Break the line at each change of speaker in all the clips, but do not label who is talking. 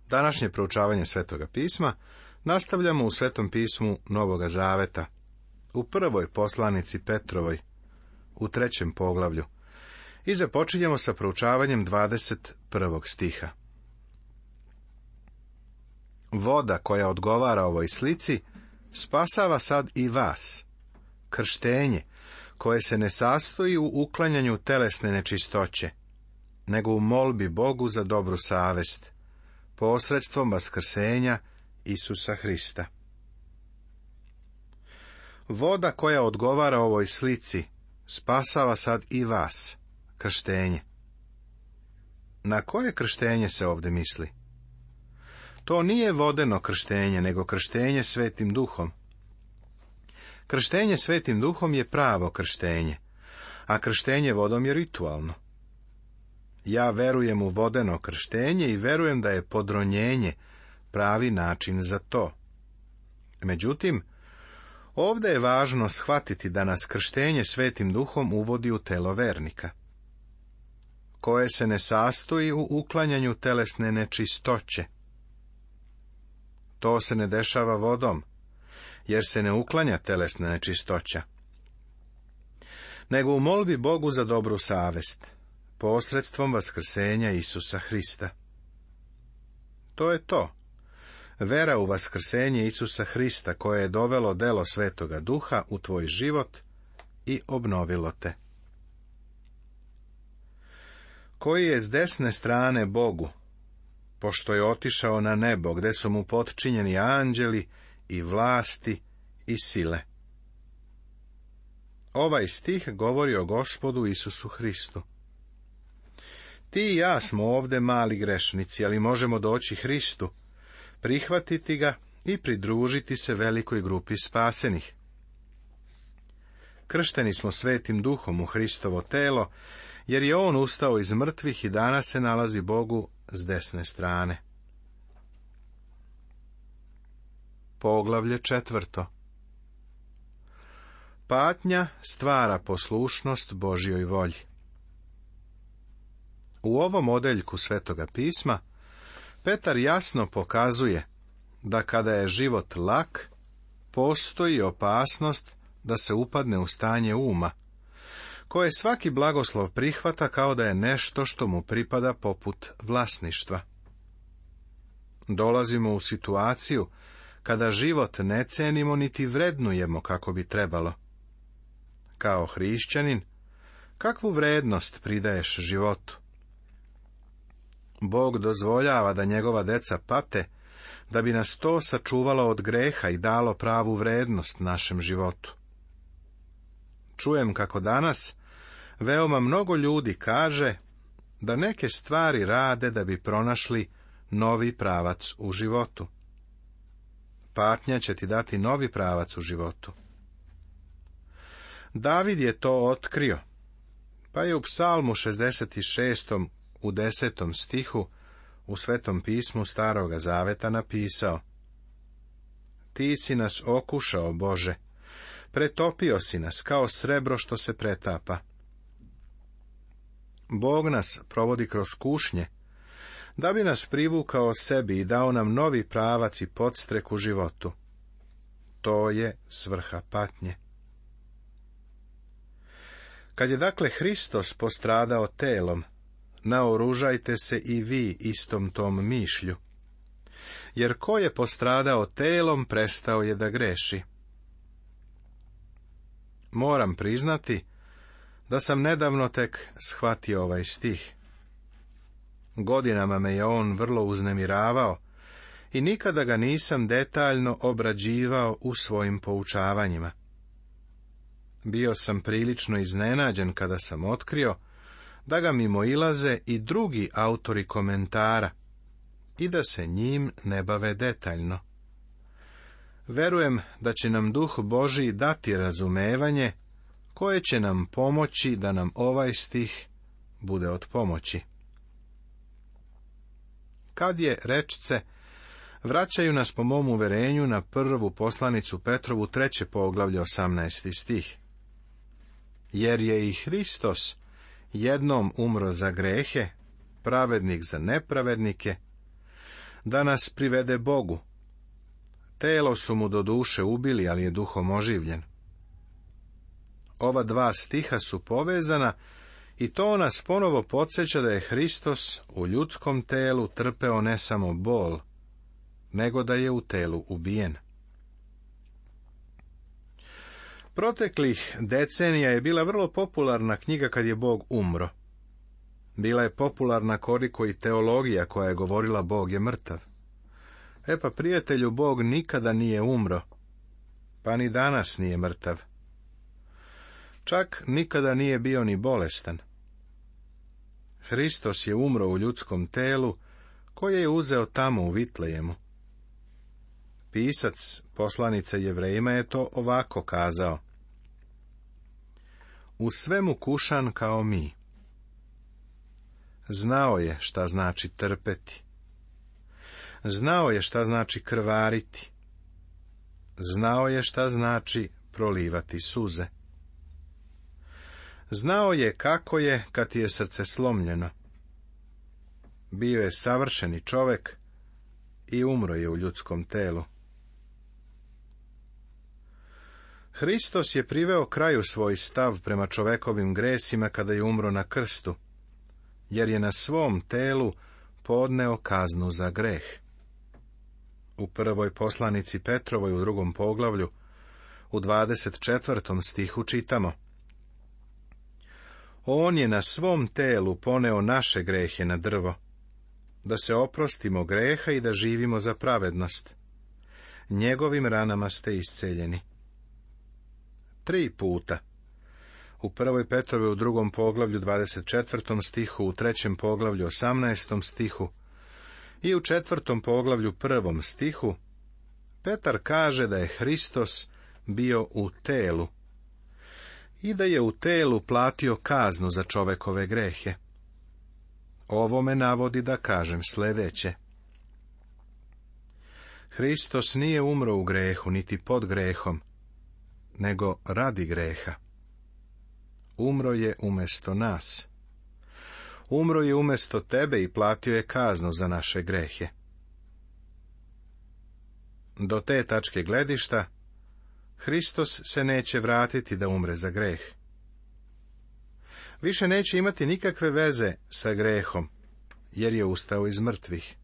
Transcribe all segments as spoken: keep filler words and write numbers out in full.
Današnje proučavanje Svetoga pisma nastavljamo u Svetom pismu Novoga Zaveta, u prvoj poslanici Petrovoj, u trećem poglavlju, i započinjemo sa proučavanjem dvadeset prvog stiha. Voda koja odgovara ovoj slici spasava sad i vas, krštenje, koje se ne sastoji u uklanjanju telesne nečistoće, nego u molbi Bogu za dobru savest, posredstvom vaskrsenja Isusa Hrista. Voda koja odgovara ovoj slici spasava sad i vas, krštenje. Na koje krštenje se ovdje misli? To nije vodeno krštenje, nego krštenje Svetim Duhom. Krštenje Svetim Duhom je pravo krštenje, a krštenje vodom je ritualno. Ja verujem u vodeno krštenje i verujem da je podronjenje pravi način za to. Međutim, ovdje je važno shvatiti da nas krštenje Svetim Duhom uvodi u telo vernika, koje se ne sastoji u uklanjanju telesne nečistoće. To se ne dešava vodom, jer se ne uklanja telesna nečistoća, nego u molbi Bogu za dobru savest, posredstvom vaskrsenja Isusa Hrista. To je to. Vera u vaskrsenje Isusa Hrista koje je dovelo delo Svetoga Duha u tvoj život i obnovilo te. Koji je s desne strane Bogu, pošto je otišao na nebo, gde su mu potčinjeni anđeli i vlasti i sile. Ovaj stih govori o Gospodu Isusu Hristu. Ti i ja smo ovde mali grešnici, ali možemo doći Hristu, prihvatiti ga i pridružiti se velikoj grupi spasenih. Kršteni smo Svetim Duhom u Hristovo telo, jer je on ustao iz mrtvih i danas se nalazi Bogu s desne strane. Poglavlje četvrto. Patnja stvara poslušnost Božjoj volji. U ovom odeljku Svetoga pisma Petar jasno pokazuje da kada je život lak, postoji opasnost da se upadne u stanje uma, koje svaki blagoslov prihvata kao da je nešto što mu pripada poput vlasništva. Dolazimo u situaciju kada život ne cenimo niti vrednujemo kako bi trebalo. Kao hrišćanin, kakvu vrednost pridaješ životu? Bog dozvoljava da njegova deca pate, da bi nas to sačuvalo od greha i dalo pravu vrednost našem životu. Čujem kako danas veoma mnogo ljudi kaže da neke stvari rade da bi pronašli novi pravac u životu. Patnja će ti dati novi pravac u životu. David je to otkrio, pa je u Psalmu šezdeset šestom u desetom stihu u Svetom pismu Staroga Zaveta napisao: Ti si nas okušao, Bože, pretopio si nas kao srebro što se pretapa. Bog nas provodi kroz kušnje, da bi nas privukao sebi i dao nam novi pravac i podstrek u životu. To je svrha patnje. Kad je dakle Hristos postradao telom, naoružajte se i vi istom tom mišlju. Jer ko je postradao telom, prestao je da greši. Moram priznati da sam nedavno tek shvatio ovaj stih. Godinama me je on vrlo uznemiravao i nikada ga nisam detaljno obrađivao u svojim poučavanjima. Bio sam prilično iznenađen kada sam otkrio da ga mimoilaze i drugi autori komentara i da se njim ne bave detaljno. Verujem da će nam Duh Božji dati razumevanje koje će nam pomoći da nam ovaj stih bude od pomoći. Kad je rečce, vraćaju nas po mom uverenju na prvu poslanicu Petrovu, treće poglavlje, osamnaesti stih. Jer je i Hristos jednom umro za grehe, pravednik za nepravednike, da nas privede Bogu. Telo su mu do duše ubili, ali je duhom oživljen. Ova dva stiha su povezana i to nas ponovo podsjeća da je Hristos u ljudskom telu trpeo ne samo bol, nego da je u telu ubijen. Proteklih decenija je bila vrlo popularna knjiga Kad je Bog umro. Bila je popularna koliko i teologija koja je govorila Bog je mrtav. E pa, prijatelju, Bog nikada nije umro, pa ni danas nije mrtav. Čak nikada nije bio ni bolestan. Hristos je umro u ljudskom telu, koje je uzeo tamo u Vitlejemu. Pisac poslanice Jevrejima je to ovako kazao: u svemu kušan kao mi. Znao je šta znači trpeti. Znao je šta znači krvariti. Znao je šta znači prolivati suze. Znao je kako je kad ti je srce slomljeno. Bio je savršeni čovek i umro je u ljudskom telu. Hristos je priveo kraju svoj stav prema čovekovim gresima kada je umro na krstu, jer je na svom telu podneo kaznu za greh. U prvoj poslanici Petrovoj u drugom poglavlju, u dvadeset četvrtom stihu čitamo: on je na svom telu poneo naše grehe na drvo, da se oprostimo greha i da živimo za pravednost. Njegovim ranama ste isceljeni. Tri puta. U prvoj Petrovoj u drugom poglavlju dvadeset četvrtom stihu, u trećem poglavlju osamnaestom stihu i u četvrtom poglavlju prvom stihu, Petar kaže da je Hristos bio u telu i da je u telu platio kaznu za čovekove grehe. Ovo me navodi da kažem sljedeće: Hristos nije umro u grehu, niti pod grehom, nego radi greha. Umro je umjesto nas. Umro je umjesto tebe i platio je kaznu za naše grehe. Do te tačke gledišta Hristos se neće vratiti da umre za greh. Više neće imati nikakve veze sa grehom, jer je ustao iz mrtvih.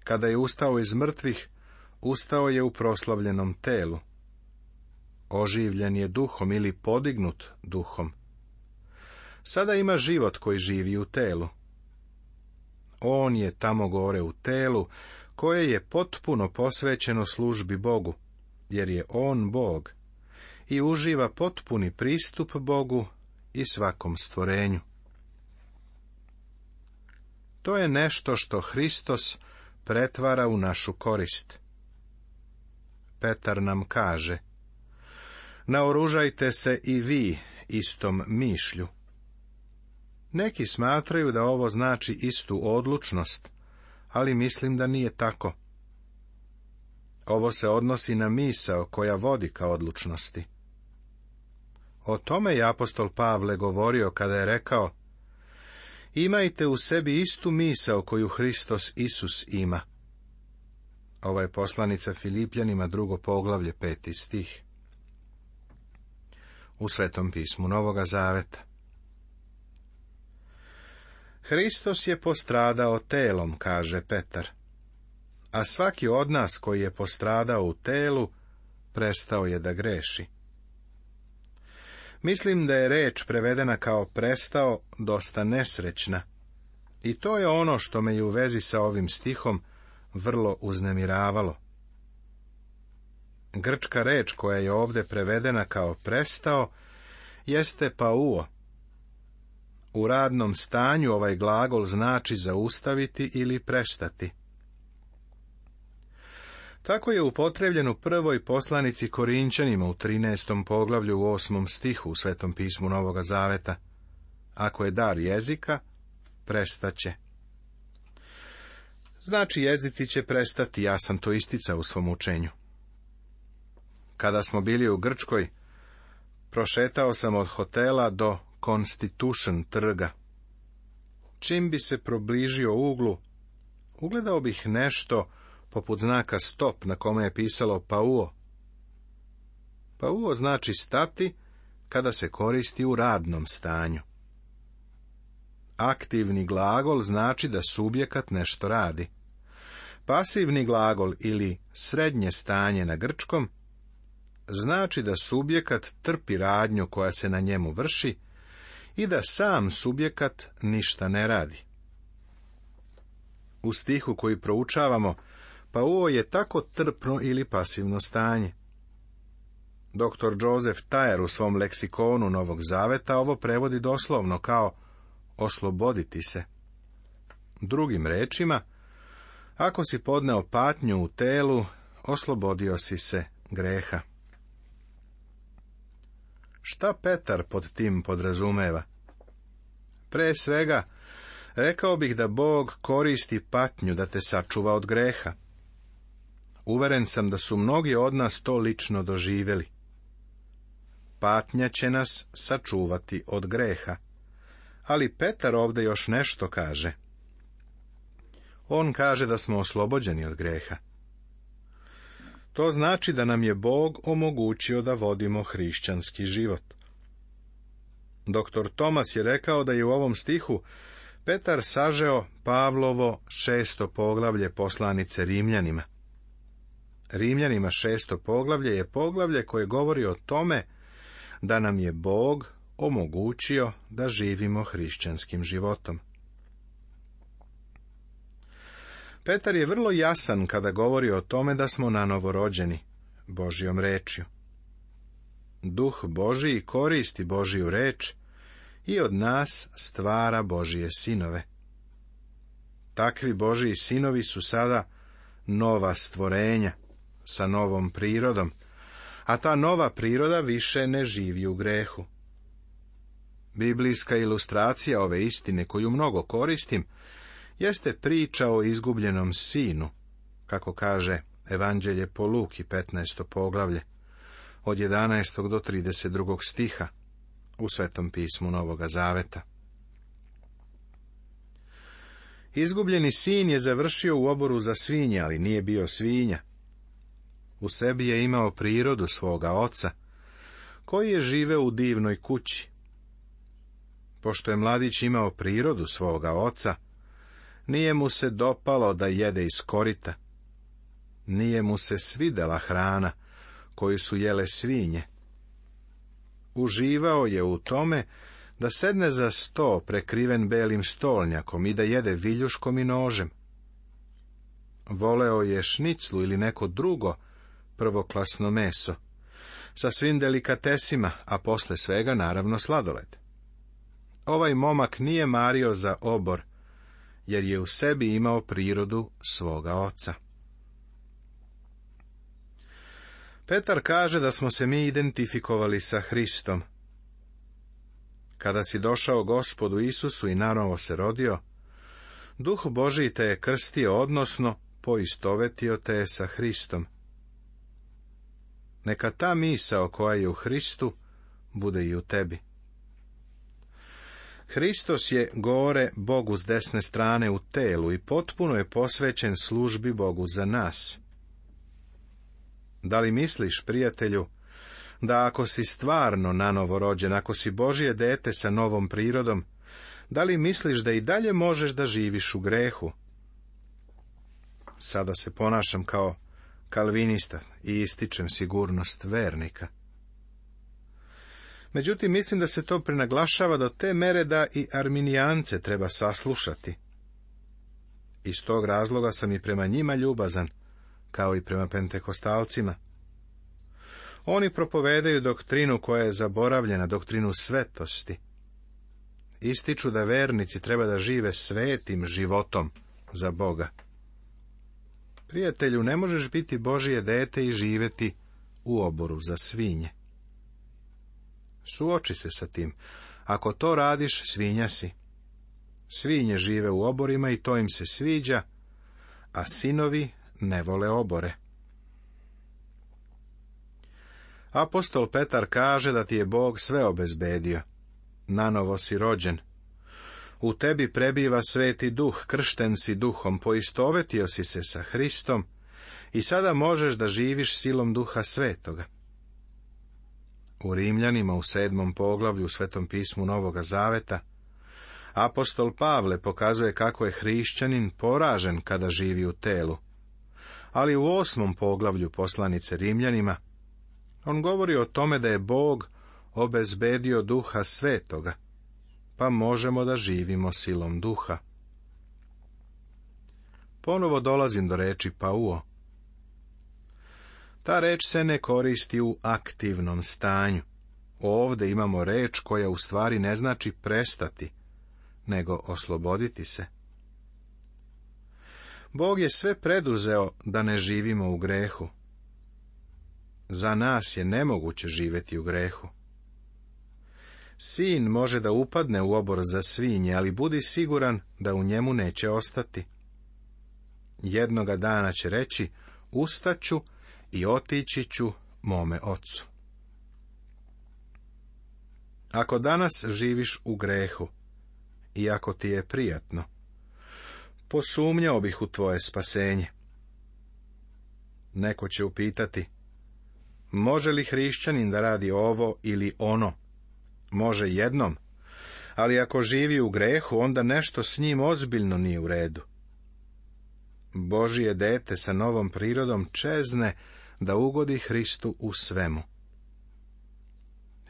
Kada je ustao iz mrtvih, ustao je u proslavljenom telu. Oživljen je duhom ili podignut duhom. Sada ima život koji živi u telu. On je tamo gore u telu, koje je potpuno posvećeno službi Bogu, jer je on Bog i uživa potpuni pristup Bogu i svakom stvorenju. To je nešto što Hristos pretvara u našu korist. Petar nam kaže: naoružajte se i vi istom mišlju. Neki smatraju da ovo znači istu odlučnost, ali mislim da nije tako. Ovo se odnosi na misao koja vodi ka odlučnosti. O tome je apostol Pavle govorio kada je rekao: imajte u sebi istu misao koju Hristos Isus ima. Ovo je poslanica Filipljanima, drugo poglavlje, peti stih. U Svetom pismu Novoga Zaveta. Hristos je postradao telom, kaže Petar, a svaki od nas koji je postradao u telu, prestao je da greši. Mislim da je reč prevedena kao prestao dosta nesrećna, i to je ono što me je u vezi sa ovim stihom vrlo uznemiravalo. Grčka reč koja je ovdje prevedena kao prestao jeste pauo. U radnom stanju ovaj glagol znači zaustaviti ili prestati. Tako je upotrebljen u prvoj poslanici Korinčanima u trinaestom poglavlju u osmom stihu u Svetom pismu Novoga Zaveta. Ako je dar jezika, prestaće. Znači, jezici će prestati, ja sam to isticao u svom učenju. Kada smo bili u Grčkoj, prošetao sam od hotela do Constitution trga. Čim bi se probližio uglu, ugledao bih nešto poput znaka stop na kome je pisalo pauo. Pauo znači stati kada se koristi u radnom stanju. Aktivni glagol znači da subjekat nešto radi. Pasivni glagol ili srednje stanje na grčkom znači da subjekat trpi radnju koja se na njemu vrši i da sam subjekat ništa ne radi. U stihu koji proučavamo, pauo je tako trpno ili pasivno stanje. Doktor Joseph Thayer u svom leksikonu Novog Zaveta ovo prevodi doslovno kao osloboditi se. Drugim rečima, ako si podneo patnju u telu, oslobodio si se greha. Šta Petar pod tim podrazumeva? Pre svega, rekao bih da Bog koristi patnju da te sačuva od greha. Uveren sam da su mnogi od nas to lično doživjeli. Patnja će nas sačuvati od greha. Ali Petar ovdje još nešto kaže. On kaže da smo oslobođeni od greha. To znači da nam je Bog omogućio da vodimo hrišćanski život. Doktor Tomas je rekao da je u ovom stihu Petar sažeo Pavlovo šesto poglavlje poslanice Rimljanima. Rimljanima šesto poglavlje je poglavlje koje govori o tome da nam je Bog omogućio da živimo hrišćanskim životom. Petar je vrlo jasan kada govori o tome da smo nanovo rođeni Božjom rečju. Duh Božiji koristi Božju reč i od nas stvara Božije sinove. Takvi Božji sinovi su sada nova stvorenja sa novom prirodom, a ta nova priroda više ne živi u grehu. Biblijska ilustracija ove istine koju mnogo koristim jeste priča o izgubljenom sinu, kako kaže Evanđelje po Luki, petnaesto poglavlje, od jedanaestog do trideset drugog stiha u Svetom pismu Novoga Zaveta. Izgubljeni sin je završio u oboru za svinje, ali nije bio svinja. U sebi je imao prirodu svoga oca, koji je živeo u divnoj kući. Pošto je mladić imao prirodu svoga oca, nije mu se dopalo da jede iz korita. Nije mu se svidela hrana koju su jele svinje. Uživao je u tome da sedne za sto prekriven belim stolnjakom i da jede viljuškom i nožem. Voleo je šniclu ili neko drugo prvoklasno meso, sa svim delikatesima, a posle svega naravno sladoled. Ovaj momak nije mario za obor, jer je u sebi imao prirodu svoga oca. Petar kaže da smo se mi identifikovali sa Hristom. Kada si došao Gospodu Isusu i nanovo se rodio, Duh Božji te je krstio, odnosno poistovetio te je sa Hristom. Neka ta misao koja je u Hristu bude i u tebi. Hristos je gore Bogu s desne strane u telu i potpuno je posvećen službi Bogu za nas. Da li misliš, prijatelju, da ako si stvarno nanovo rođen, ako si Božje dete sa novom prirodom, da li misliš da i dalje možeš da živiš u grehu? Sada se ponašam kao kalvinista i ističem sigurnost vernika. Međutim, mislim da se to prenaglašava do te mere da i arminijance treba saslušati. Iz tog razloga sam i prema njima ljubazan, kao i prema pentekostalcima. Oni propovedaju doktrinu koja je zaboravljena, doktrinu svetosti. Ističu da vernici treba da žive svetim životom za Boga. Prijatelju, ne možeš biti Božje dete i živeti u oboru za svinje. Suoči se sa tim. Ako to radiš, svinja si. Svinje žive u oborima i to im se sviđa, a sinovi ne vole obore. Apostol Petar kaže da ti je Bog sve obezbedio. Nanovo si rođen. U tebi prebiva Sveti Duh, kršten si Duhom, poistovetio si se sa Hristom i sada možeš da živiš silom Duha Svetoga. U Rimljanima u sedmom poglavlju u Svetom pismu Novoga Zaveta apostol Pavle pokazuje kako je hrišćanin poražen kada živi u telu, ali u osmom poglavlju poslanice Rimljanima on govori o tome da je Bog obezbedio Duha Svetoga, pa možemo da živimo silom Duha. Ponovo dolazim do reči pauo. Ta reč se ne koristi u aktivnom stanju. Ovde imamo reč koja u stvari ne znači prestati, nego osloboditi se. Bog je sve preduzeo da ne živimo u grehu. Za nas je nemoguće živjeti u grehu. Sin može da upadne u obor za svinje, ali budi siguran da u njemu neće ostati. Jednoga dana će reći, ustaću i otići ću mome ocu. Ako danas živiš u grehu, i ako ti je prijatno, posumnjao bih u tvoje spasenje. Neko će upitati, može li hrišćanin da radi ovo ili ono? Može jednom, ali ako živi u grehu, onda nešto s njim ozbiljno nije u redu. Božje dete sa novom prirodom čezne da ugodi Hristu u svemu.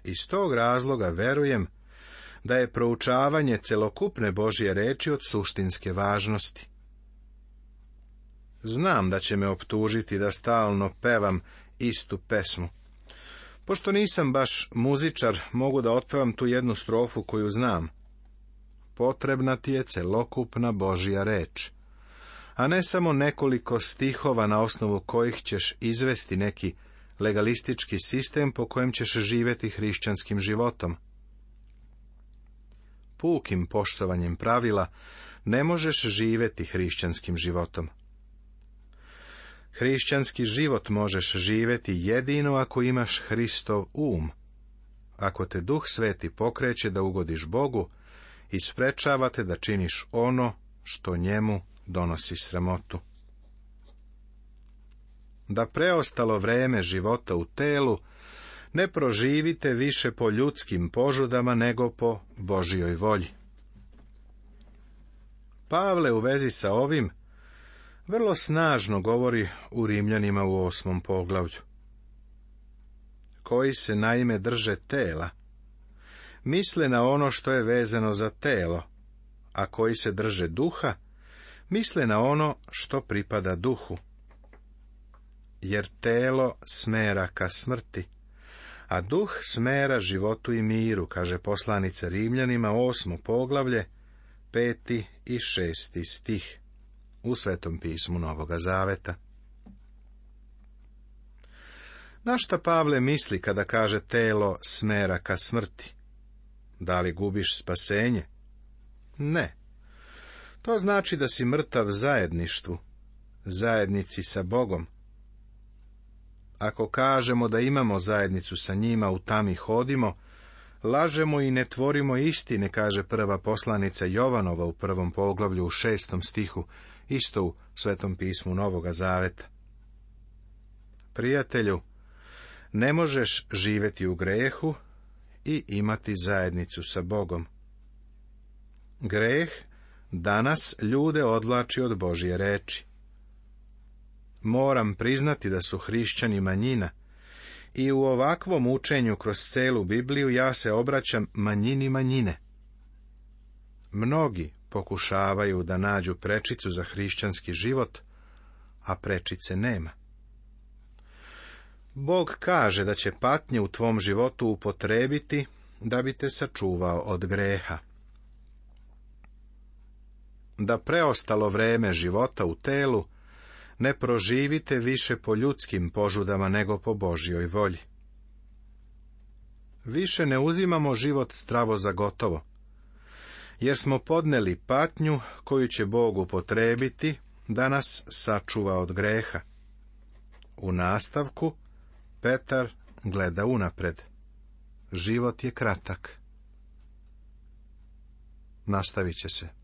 Iz tog razloga verujem da je proučavanje celokupne Božje reči od suštinske važnosti. Znam da će me optužiti da stalno pevam istu pesmu. Pošto nisam baš muzičar, mogu da otpevam tu jednu strofu koju znam. Potrebna ti je celokupna Božja reč, a ne samo nekoliko stihova na osnovu kojih ćeš izvesti neki legalistički sistem po kojem ćeš živjeti hrišćanskim životom. Pukim poštovanjem pravila ne možeš živjeti hrišćanskim životom. Hrišćanski život možeš živjeti jedino ako imaš Hristov um, ako te Duh Sveti pokreće da ugodiš Bogu i sprečava te da činiš ono što njemu donosi sramotu. Da preostalo vreme života u telu ne proživite više po ljudskim požudama nego po Božjoj volji. Pavle u vezi sa ovim vrlo snažno govori u Rimljanima u osmom poglavlju. Koji se naime drže tela, misle na ono što je vezano za telo, a koji se drže duha, misle na ono što pripada duhu. Jer telo smera ka smrti, a duh smera životu i miru, kaže poslanica Rimljanima, osmo poglavlje, peti i šesti stih, u Svetom pismu Novoga Zaveta. Na šta Pavle misli kada kaže telo smera ka smrti? Da li gubiš spasenje? Ne. To znači da si mrtav zajedništvu, zajednici sa Bogom. Ako kažemo da imamo zajednicu sa njima, u tami hodimo, lažemo i ne tvorimo istine, kaže prva poslanica Jovanova u prvom poglavlju u šestom stihu, isto u Svetom pismu Novoga Zaveta. Prijatelju, ne možeš živjeti u grehu i imati zajednicu sa Bogom. Greh danas ljude odvlači od Božje reči. Moram priznati da su hrišćani manjina i u ovakvom učenju kroz celu Bibliju ja se obraćam manjini manjine. Mnogi pokušavaju da nađu prečicu za hrišćanski život, a prečice nema. Bog kaže da će patnje u tvom životu upotrebiti da bi te sačuvao od greha. Da preostalo vreme života u telu ne proživite više po ljudskim požudama nego po Božjoj volji. Više ne uzimamo život zdravo za gotovo, jer smo podneli patnju koju će Bog upotrebiti da nas sačuva od greha. U nastavku Petar gleda unapred. Život je kratak. nastavit će se.